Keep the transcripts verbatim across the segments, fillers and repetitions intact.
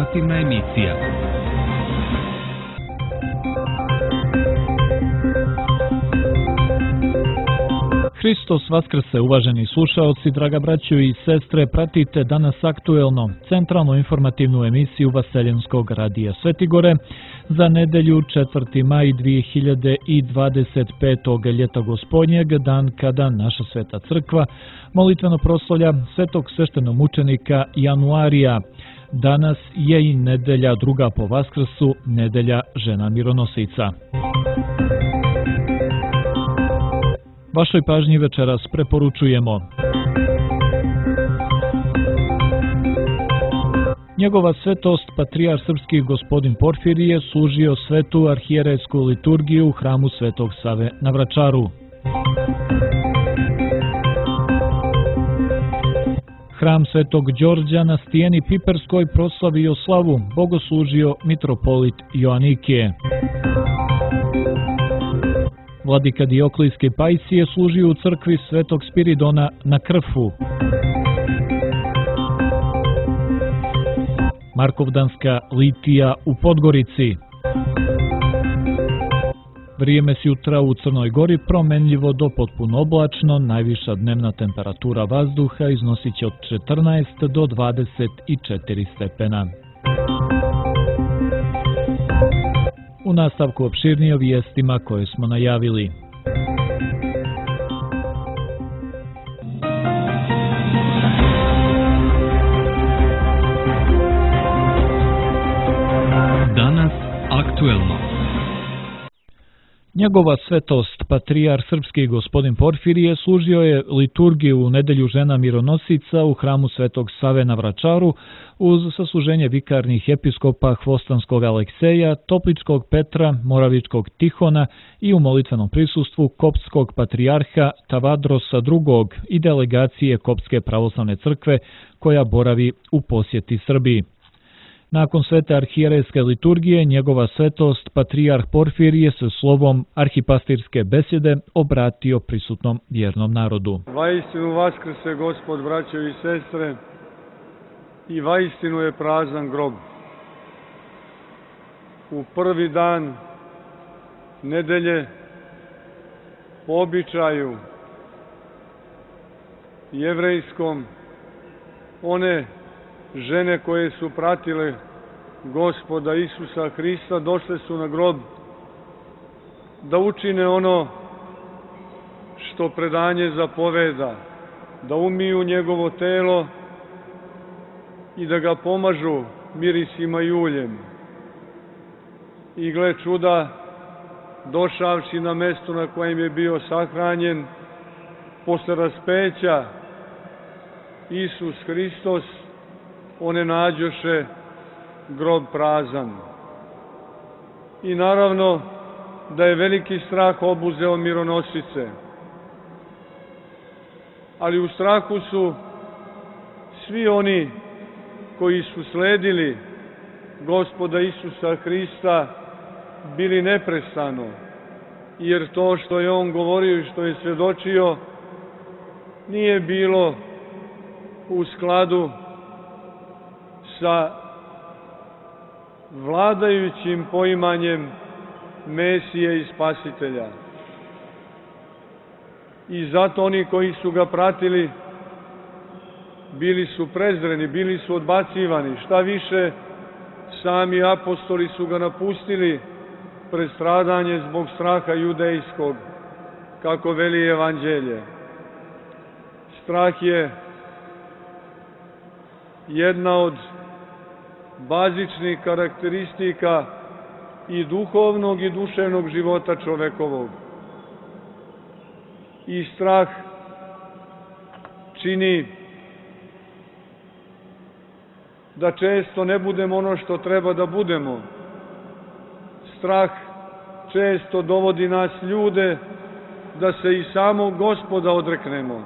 Informativna emisija. Hristos vaskrse, uvaženi slušaoci, draga braćo i sestre, pratite danas aktuelno centralnu informativnu emisiju Vaseljenskog radija Svetigore za nedelju četvrti maj dvije hiljade dvadeset petog ljeta gospodnjeg, dan kada naša sveta crkva molitveno proslavlja svetog sveštenomučenika Januarija. Danas je i nedelja druga po Vaskrsu, nedelja žena mironosica. Vašoj pažnji večeras preporučujemo Njegova svetost patrijar srpski gospodin Porfirije služio svetu arhijerejsku liturgiju u hramu Svetog Save na Vračaru. Hram Svetog Đorđa na Stijeni Piperskoj proslavio slavu, bogoslužio mitropolit Joanikije. Vladika Dioklijske Pajsije služio u crkvi Svetog Spiridona na Krfu. Markovdanska litija u Podgorici. Vrijeme s jutra u Crnoj Gori promenljivo do potpuno oblačno, najviša dnevna temperatura vazduha iznosit će od četrnaest do dvadeset četiri stepena. U nastavku opširnije o vijestima koje smo najavili. Danas aktuelno. Njegova svetost, patrijar srpski gospodin Porfirije, služio je liturgiju u nedelju žena mironosica u hramu Svetog Save na Vračaru uz sasluženje vikarnih episkopa Hvostanskog Alekseja, Topličkog Petra, Moravičkog Tihona i u molitvenom prisustvu koptskog patrijarha Tavadrosa drugog i delegacije Koptske pravoslavne crkve koja boravi u posjeti Srbiji. Nakon svete arhijerejske liturgije, njegova svetost, patrijarh Porfirije se slovom arhipastirske besjede obratio prisutnom vjernom narodu. Vaistinu vaskrse Gospod, braćo i sestre, i vaistinu je prazan grob. U prvi dan nedelje po običaju jevrejskom one žene koje su pratile Gospoda Isusa Hrista došle su na grob da učine ono što predanje zapoveda, da umiju njegovo telo i da ga pomažu mirisima i uljem. I gle čuda, došavši na mesto na kojem je bio sahranjen, posle raspeća Isus Hristos, one nađoše grob prazan. I naravno da je veliki strah obuzeo mironosice. Ali u strahu su svi oni koji su sledili Gospoda Isusa Hrista bili neprestano, jer to što je on govorio i što je svedočio nije bilo u skladu sa vladajućim poimanjem Mesije i Spasitelja. I zato oni koji su ga pratili bili su prezreni, bili su odbacivani. Šta više, sami apostoli su ga napustili pred stradanje zbog straha judejskog, kako veli Evanđelje. Strah je jedna od bazičnih karakteristika i duhovnog i duševnog života čovekovog. I strah čini da često ne budemo ono što treba da budemo. Strah često dovodi nas ljude da se i samog Gospoda odreknemo.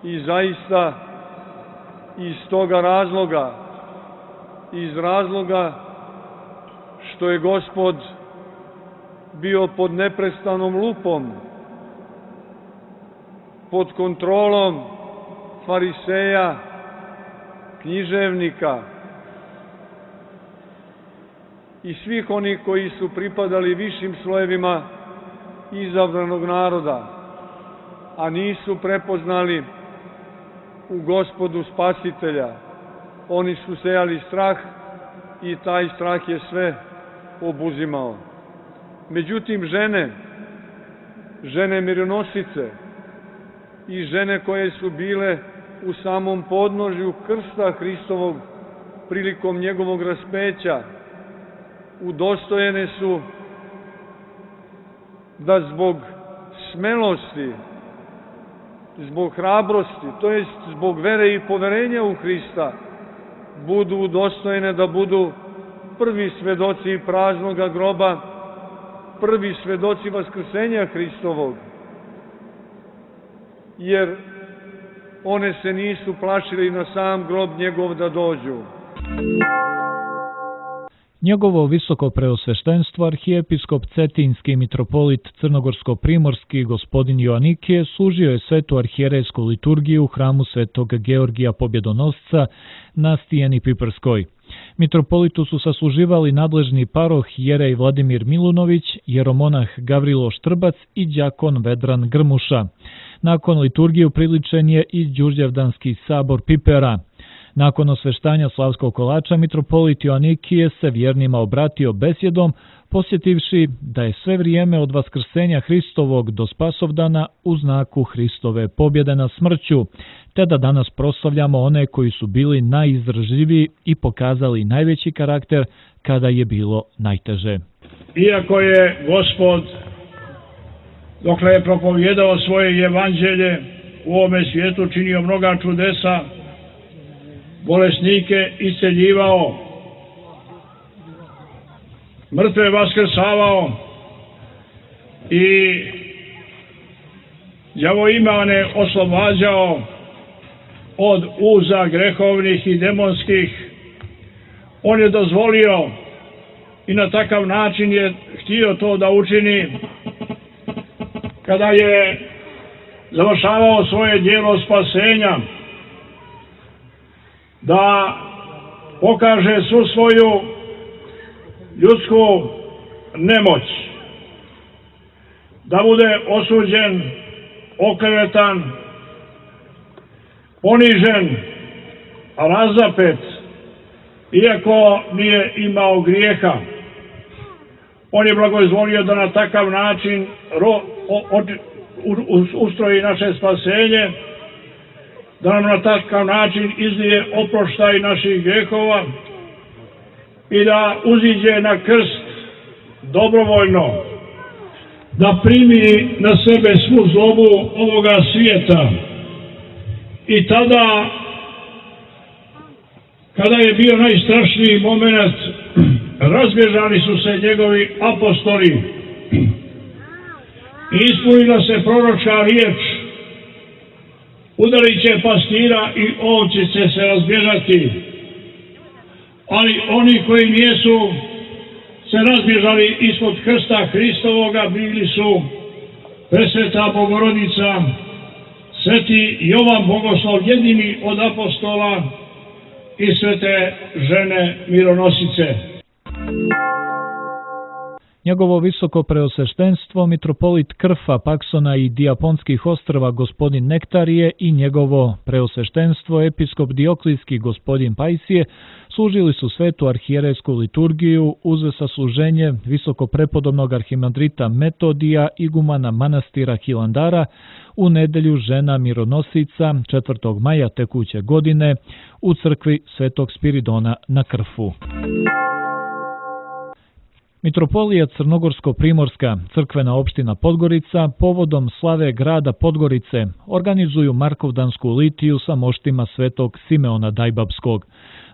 I zaista iz toga razloga, iz razloga što je Gospod bio pod neprestanom lupom, pod kontrolom fariseja, književnika, i svih onih koji su pripadali višim slojevima izabranog naroda, a nisu prepoznali u Gospodu Spasitelja. Oni su sejali strah i taj strah je sve obuzimao. Međutim, žene, žene mironosice i žene koje su bile u samom podnožju krsta Hristovog prilikom njegovog raspeća, udostojene su da zbog smelosti, zbog hrabrosti, to jest zbog vere i poverenja u Hrista, budu udostojene da budu prvi svedoci praznoga groba, prvi svedoci vaskrsenja Hristovog, jer one se nisu plašili na sam grob njegov da dođu. Njegovo visoko preosveštenstvo arhijepiskop Cetinski mitropolit Crnogorsko-primorski gospodin Joanikije služio je svetu arhijerejsku liturgiju u hramu svetog Georgija Pobjedonosca na Stijeni Piprskoj. Mitropolitu su sasluživali nadležni paroh jerej Vladimir Milunović, jeromonah Gavrilo Štrbac i đakon Vedran Grmuša. Nakon liturgije upriličen je i Đurđevdanski sabor Pipera. Nakon osveštanja slavskog kolača, mitropolit Joanikije se vjernima obratio besjedom, posjetivši da je sve vrijeme od vaskrsenja Hristovog do spasovdana u znaku Hristove pobjede nad smrću, te da danas proslavljamo one koji su bili najizdržljiviji i pokazali najveći karakter kada je bilo najteže. Iako je Gospod, dokle je propovjedao svoje evanđelje, u ovome svijetu činio mnoga čudesa, bolesnike isceljivao, mrtve vaskrsavao i đavoimane oslobađao od uza grehovnih i demonskih. On je dozvolio i na takav način je htio to da učini kada je završavao svoje djelo spasenja, da pokaže svu svoju ljudsku nemoć, da bude osuđen, oklevetan, ponižen, razapet, iako nije imao grijeha. On je blagoizvolio da na takav način ro, o, o, ustroji naše spasenje, da nam na takav način izlije oproštaj naših grehova i da uziđe na krst dobrovoljno, da primi na sebe svu zlobu ovoga svijeta. I tada, kada je bio najstrašniji moment, razbježali su se njegovi apostoli i ispunila se proročka riječ: udarit će pastira i ovce će se razbježati. Ali oni koji nisu se razbježali ispod krsta Hristovoga bili su Presveta Bogorodica, Sveti Jovan Bogoslov, jedini od apostola, i svete žene mironosice. Njegovo visoko preosveštenstvo mitropolit Krfa, Paksona i Dijaponskih ostrva gospodin Nektarije i njegovo preosveštenstvo episkop Dioklijski gospodin Pajsije služili su svetu arhijerejsku liturgiju uz sasluženje visoko prepodobnog arhimandrita Metodija, igumana manastira Hilandara, u nedelju žena mironosica četvrtog maja tekuće godine u crkvi Svetog Spiridona na Krfu. Mitropolija Crnogorsko-primorska, crkvena opština Podgorica, povodom slave grada Podgorice organizuju Markovdansku litiju sa moštima Svetog Simeona Dajbabskog.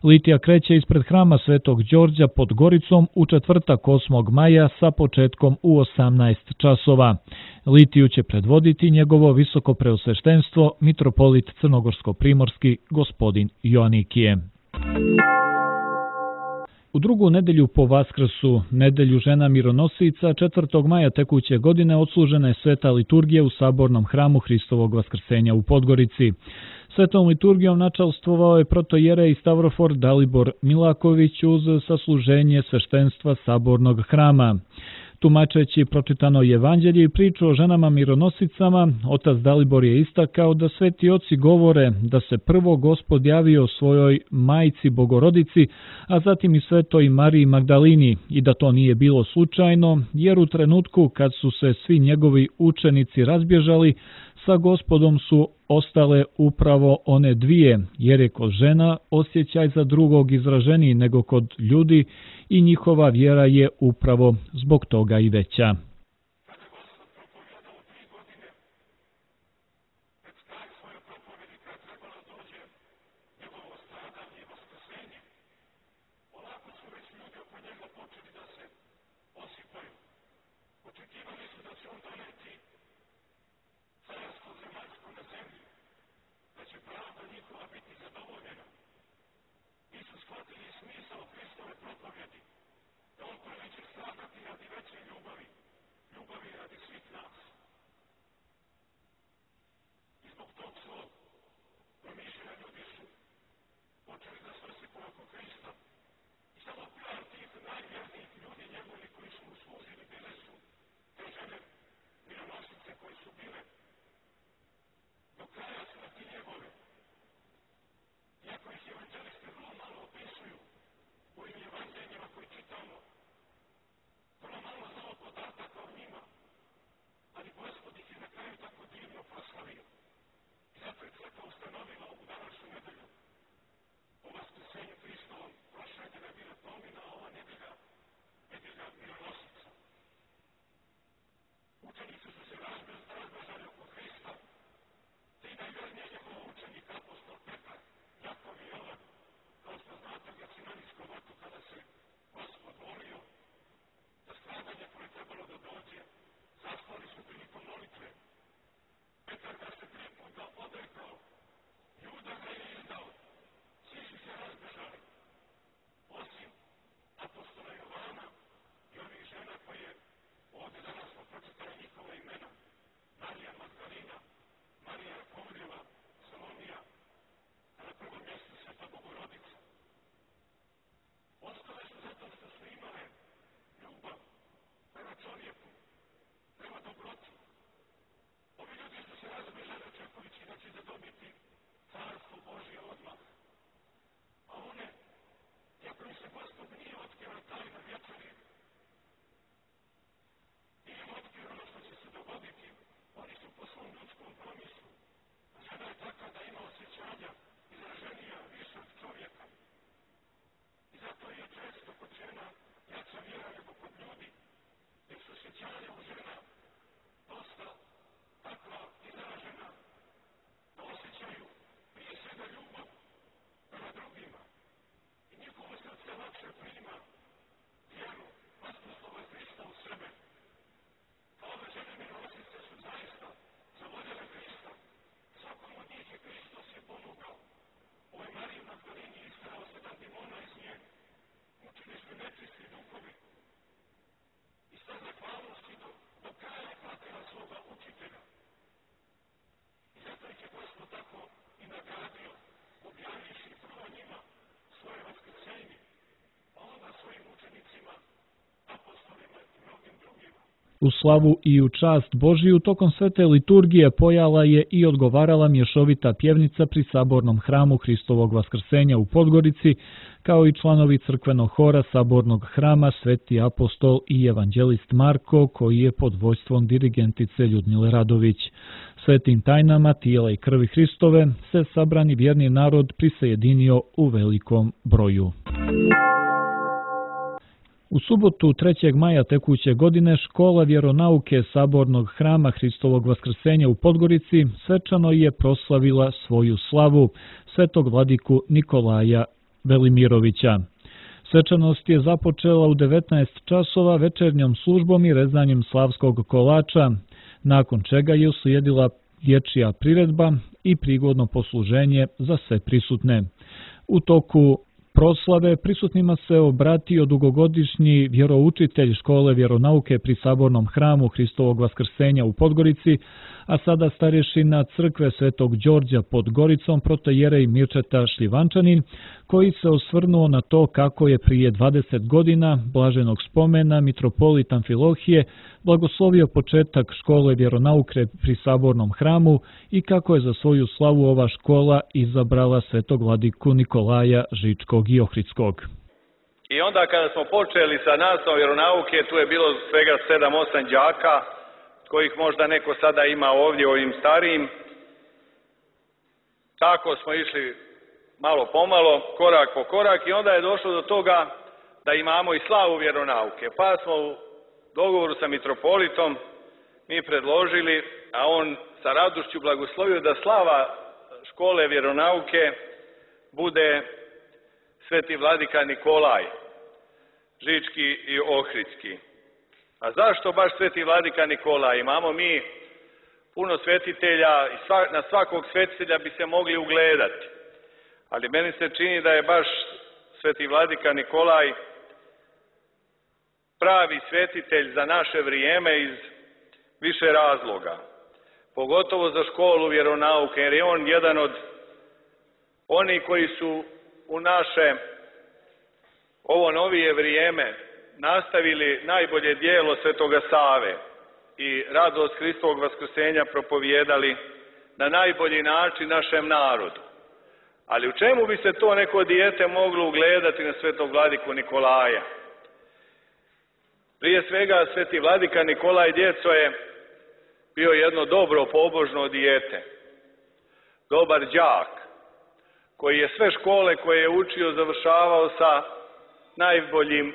Litija kreće ispred hrama Svetog Đorđa pod Goricom u četvrtak osmog maja sa početkom u osamnaest časova. Litiju će predvoditi njegovo visoko preosveštenstvo mitropolit Crnogorsko-primorski gospodin Joanikije. U drugu nedelju po Vaskrsu, nedelju žena mironosica, četvrtog maja tekuće godine odslužena je sveta liturgija u sabornom hramu Hristovog vaskrsenja u Podgorici. Svetom liturgijom načalstvovao je protojerej Stavrofor Dalibor Milaković uz sasluženje sveštenstva sabornog hrama. Tumačeći pročitano evanđelje i priču o ženama mironosicama, otac Dalibor je istakao da sveti oci govore da se prvo Gospod javio svojoj majci Bogorodici, a zatim i svetoj Mariji Magdalini i da to nije bilo slučajno, jer u trenutku kad su se svi njegovi učenici razbježali, sa Gospodom su ostale upravo one dvije, jer je kod žena osjećaj za drugog izraženiji nego kod ljudi i njihova vjera je upravo zbog toga i veća. U slavu i u čast Božiju tokom svete liturgije pojala je i odgovarala mješovita pjevnica pri sabornom hramu Hristovog vaskrsenja u Podgorici, kao i članovi crkvenog hora sabornog hrama Sveti apostol i evanđelist Marko, koji je pod vojstvom dirigentice Ljudmile Radović. Svetim tajnama tijela i krvi Hristove se sabrani vjerni narod prisajedinio u velikom broju. U subotu trećeg maja tekuće godine škola vjeronauke sabornog hrama Hristovog vaskrsenja u Podgorici svečano je proslavila svoju slavu, svetog vladiku Nikolaja Velimirovića. Svečanost je započela u devetnaest časova večernjom službom i rezanjem slavskog kolača, nakon čega je uslijedila dječja priredba i prigodno posluženje za sve prisutne. U toku proslave prisutnima se obratio dugogodišnji vjeroučitelj škole vjeronauke pri sabornom hramu Hristovog vaskrsenja u Podgorici, a sada starješina crkve Svetog Đorđa pod Goricom protojerej Mirčeta Šljivančanin, koji se osvrnuo na to kako je prije dvadeset godina blaženog spomena mitropolit Amfilohije blagoslovio početak škole vjeronauke pri Sabornom hramu i kako je za svoju slavu ova škola izabrala svetog vladiku Nikolaja Žičkog i Ohridskog. I onda kada smo počeli sa nastavom vjeronauke, tu je bilo svega sedam osam đaka, kojih možda neko sada ima ovdje ovim starijim. Tako smo išli malo pomalo, korak po korak i onda je došlo do toga da imamo i slavu vjeronauke. Pa smo u dogovoru sa mitropolitom mi predložili, a on sa radošću blagoslovio da slava škole vjeronauke bude sveti vladika Nikolaj, Žički i Ohridski. A zašto baš sveti vladika Nikolaj? Imamo mi puno svetitelja i sva, na svakog svetitelja bi se mogli ugledati. Ali meni se čini da je baš sveti vladika Nikolaj pravi svetitelj za naše vrijeme iz više razloga. Pogotovo za školu vjeronauke, jer je on jedan od onih koji su u naše ovo novije vrijeme nastavili najbolje djelo Svetoga Save i radost Hristovog vaskrsenja propovijedali na najbolji način našem narodu. Ali u čemu bi se to neko dijete moglo ugledati na svetog vladiku Nikolaja? Prije svega, sveti vladika Nikolaj djeco je bio jedno dobro pobožno dijete, dobar đak, koji je sve škole koje je učio završavao sa najboljim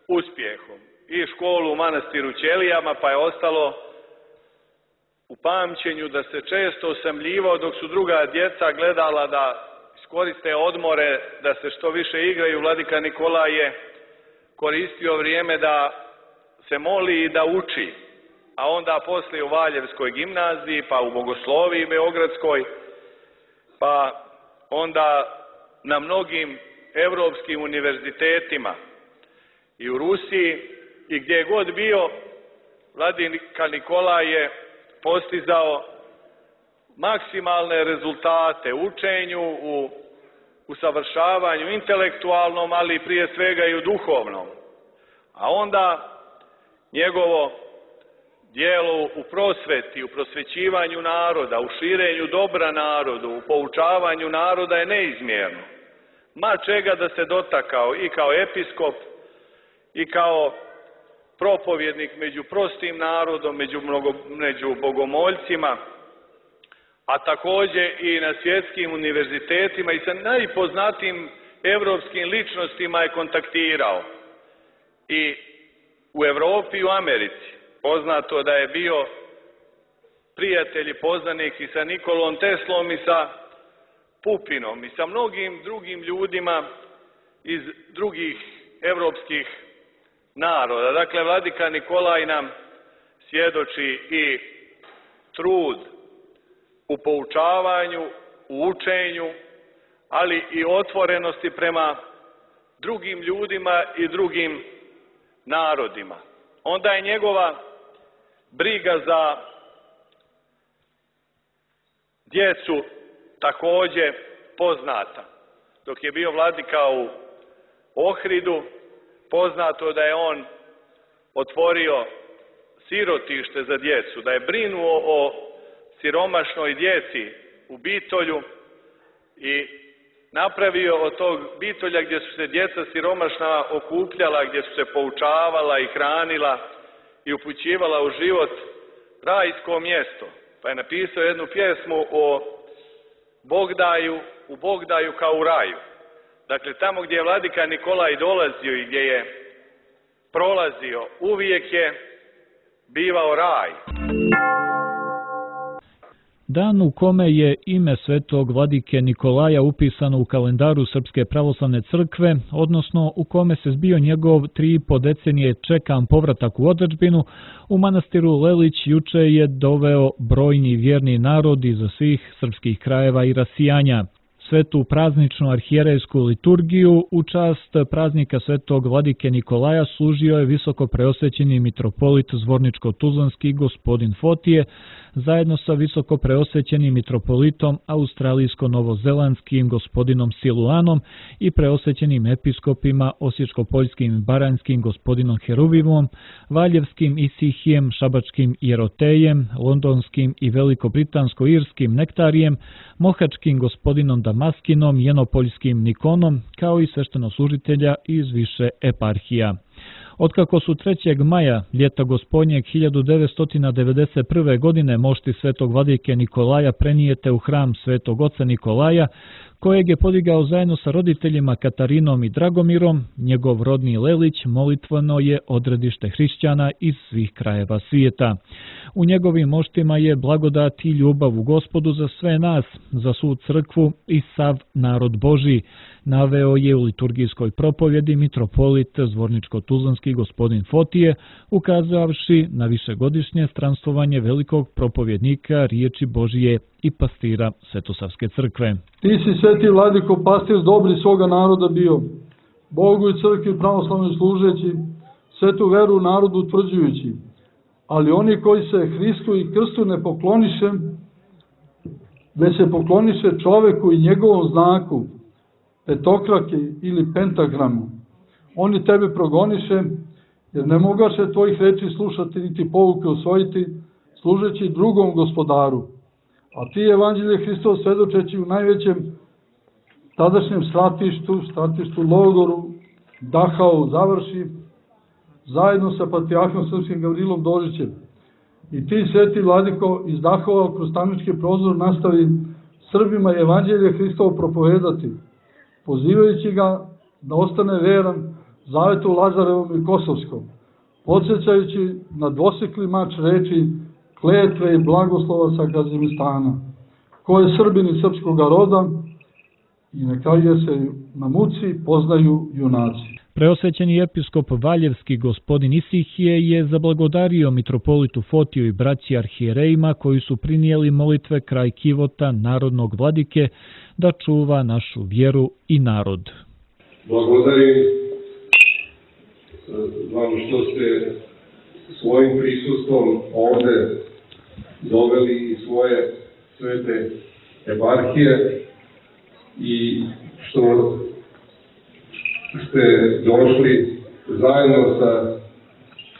uspjehom. I školu u manastiru Ćelijama, pa je ostalo u pamćenju da se često osamljivao dok su druga djeca gledala da iskoriste odmore, da se što više igraju. Vladika Nikolaj je koristio vrijeme da se moli i da uči, a onda poslije u Valjevskoj gimnaziji, pa u Bogosloviji Beogradskoj, pa onda na mnogim evropskim univerzitetima i u Rusiji i gdje je god bio, vladika Nikolaj je postizao maksimalne rezultate u učenju, u usavršavanju intelektualnom, ali prije svega i u duhovnom. A onda njegovo djelo u prosveti, u prosvećivanju naroda, u širenju dobra narodu, u poučavanju naroda je neizmjerno. Ma čega da se dotakao i kao episkop i kao propovjednik među prostim narodom, među, mnogo, među bogomoljcima, a također i na svjetskim univerzitetima i sa najpoznatijim evropskim ličnostima je kontaktirao. I u Europi i u Americi poznato da je bio prijatelj i poznanik i sa Nikolom Teslom i sa Pupinom i sa mnogim drugim ljudima iz drugih evropskih naroda. Dakle, vladika Nikolaj nam svjedoči i trud u poučavanju, u učenju, ali i otvorenosti prema drugim ljudima i drugim narodima. Onda je njegova briga za djecu također poznata. Dok je bio vladika u Ohridu, poznato da je on otvorio sirotište za djecu, da je brinuo o siromašnoj djeci u Bitolju i napravio od tog Bitolja gdje su se djeca siromašna okupljala, gdje su se poučavala i hranila i upućivala u život, rajsko mjesto. Pa je napisao jednu pjesmu o Bogdaju, u Bogdaju kao u raju. Dakle, tamo gdje je vladika Nikolaj dolazio i gdje je prolazio, uvijek je bivao raj. Dan u kome je ime svetog vladike Nikolaja upisano u kalendaru Srpske pravoslavne crkve, odnosno u kome se zbio njegov tri i po decenije čekan povratak u otadžbinu, u manastiru Lelić juče je doveo brojni vjerni narod iz svih srpskih krajeva i rasijanja. Svetu prazničnu arhijerejsku liturgiju u čast praznika svetog vladike Nikolaja služio je visoko preosvećeni mitropolit Zvorničko-tuzlanski gospodin Fotije zajedno sa visoko preosvećenim mitropolitom australijsko-novozelandskim gospodinom Siluanom i preosvećenim episkopima osječko-poljskim i baranjskim gospodinom Heruvimom, valjevskim Isihijem, šabačkim Jerotejem, londonskim i veliko-britansko-irskim Nektarijem, mohačkim gospodinom Damaskinom, jenopoljskim Nikonom, kao i sveštenoslужitelja iz više eparhija. Otkako su trećeg maja ljeta gospodnjeg hiljadu devetsto devedeset prve. godine mošti svetog vladike Nikolaja prenijete u hram svetog oca Nikolaja, kojeg je podigao zajedno sa roditeljima Katarinom i Dragomirom, njegov rodni Lelić molitveno je odredište hrišćana iz svih krajeva svijeta. U njegovim moštima je blagodat i ljubav u Gospodu za sve nas, za svu crkvu i sav narod Božji, naveo je u liturgijskoj propovjedi mitropolit Zvorničko-tuzlanski gospodin Fotije, ukazavši na višegodišnje stranstvovanje velikog propovjednika riječi Božije i pastira Svetosavske crkve. Ti si, sveti vladiko, pastir dobri svoga naroda bio, Bogu i crkvi pravoslavnoj služeći, svetu veru u narodu utvrđujući, ali oni koji se Hristu i krstu ne pokloniše, već se pokloniše čoveku i njegovom znaku, petokraki ili pentagramu, oni tebe progoniše, jer ne mogaše tvojih reči slušati niti pouke usvojiti, služeći drugom gospodaru. A ti, evanđelje Hristov, svedočeći u najvećem tadašnjem stratištu, stratištu logoru, Dachau završi, zajedno sa patrijarhom srpskim Gavrilom Dožićem. I ti, sveti vladiko, iz Dachova kroz tamnički prozor nastavi Srbima evanđelje Hristovo propovedati, pozivajući ga da ostane veran zavetu Lazarevom i Kosovskom, podsjećajući na dvosekli mač reči kletve i blagoslova sa Kazimistana, ko je Srbin iz srpskog roda, i neka je se na muci poznaju junaci. Preosvećeni episkop valjevski gospodin Isihije je zablagodario mitropolitu Fotiju i braći arhijerejima koji su prinijeli molitve kraj kivota narodnog vladike da čuva našu vjeru i narod. Blagodarim vam što ste svojim prisustvom ovde doveli i svoje svete eparhije i što ste došli zajedno sa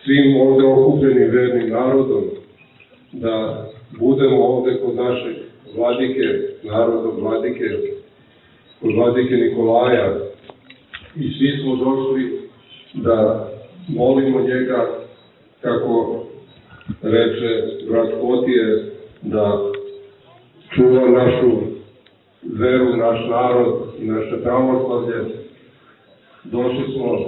svim ovde okupljenim vernim narodom da budemo ovde kod našeg vladike, narodnog vladike, kod vladike Nikolaja, i svi smo došli da molimo njega, kako reče brat Fotije, da čuva našu veru, naš narod i naše pravoslavlje. Došli smo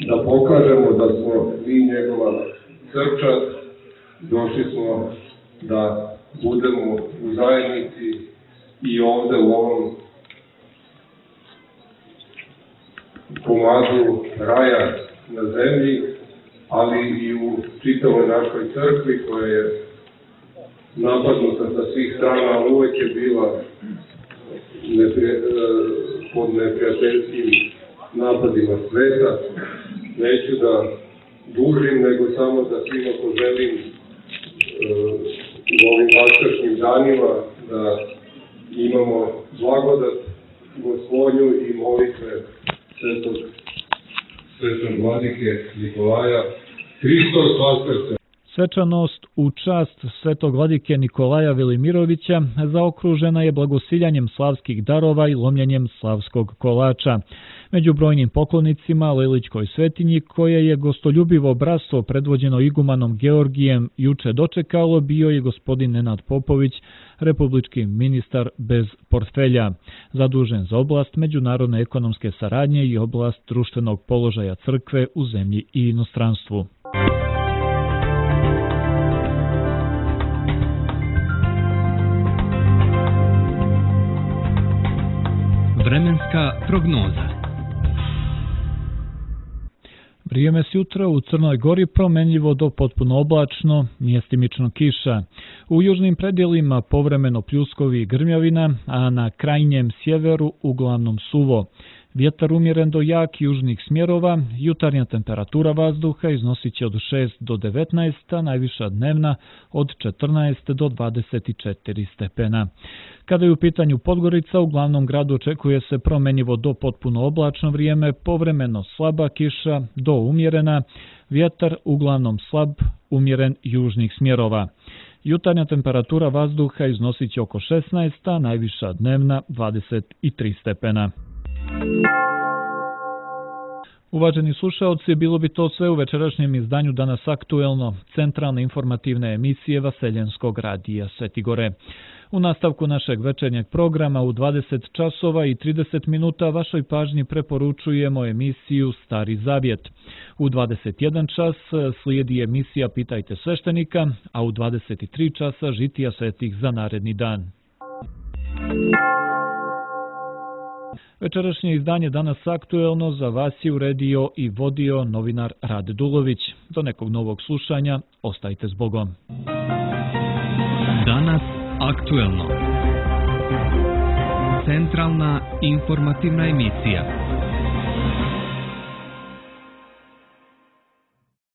da pokažemo da smo mi njegova crkva, došli smo da budemo u zajednici i ovde u ovom komadu raja na zemlji, ali i u čitavoj našoj crkvi koja je napadnuta sa svih strana, ali uvek je bila neprijatelj, pod neprijateljskim napadima sveta. Neću da dužim, nego samo da svima poželim e, u ovim vaskršnjim danima da imamo blagodat Gospodnju i molitve svetog, svetog vladike Nikolaja. Hristos vaskrse! Svečanost u čast svetog vladike Nikolaja Velimirovića zaokružena je blagosiljanjem slavskih darova i lomljenjem slavskog kolača. Među brojnim poklonicima Lelićkoj svetinji, koje je gostoljubivo bratstvo predvođeno igumanom Georgijem juče dočekalo, bio je gospodin Nenad Popović, republički ministar bez portfelja, zadužen za oblast međunarodne ekonomske saradnje i oblast društvenog položaja crkve u zemlji i inostranstvu. Vremenska prognoza. Vrijeme s jutra u Crnoj Gori promenljivo do potpuno oblačno, mjestimično kiša. U južnim predjelima povremeno pljuskovi i grmljavina, a na krajnjem sjeveru uglavnom suvo. Vjetar umjeren do jak južnih smjerova, jutarnja temperatura vazduha iznosit će od šest do devetnaest, a najviša dnevna od četrnaest do dvadeset četiri stepena. Kada je u pitanju Podgorica, u glavnom gradu očekuje se promenjivo do potpuno oblačno vrijeme, povremeno slaba kiša do umjerena, vjetar uglavnom slab, umjeren južnih smjerova. Jutarnja temperatura vazduha iznosit će oko šesnaest, a najviša dnevna dvadeset tri stepena. Uvaženi slušaoci, bilo bi to sve u večerašnjem izdanju Danas aktuelno, centralne informativne emisije Vaseljenskog radija Svetigore. U nastavku našeg večernjeg programa u dvadeset časova i trideset minuta vašoj pažnji preporučujemo emisiju Stari Zavjet. U dvadeset jedan čas slijedi emisija Pitajte sveštenika, a u dvadeset tri časa žitija svetih za naredni dan. Večerašnje izdanje Danas aktuelno za vas je uredio i vodio novinar Rade Dulović. Do nekog novog slušanja, ostajte s Bogom. Danas aktuelno. Centralna informativna emisija.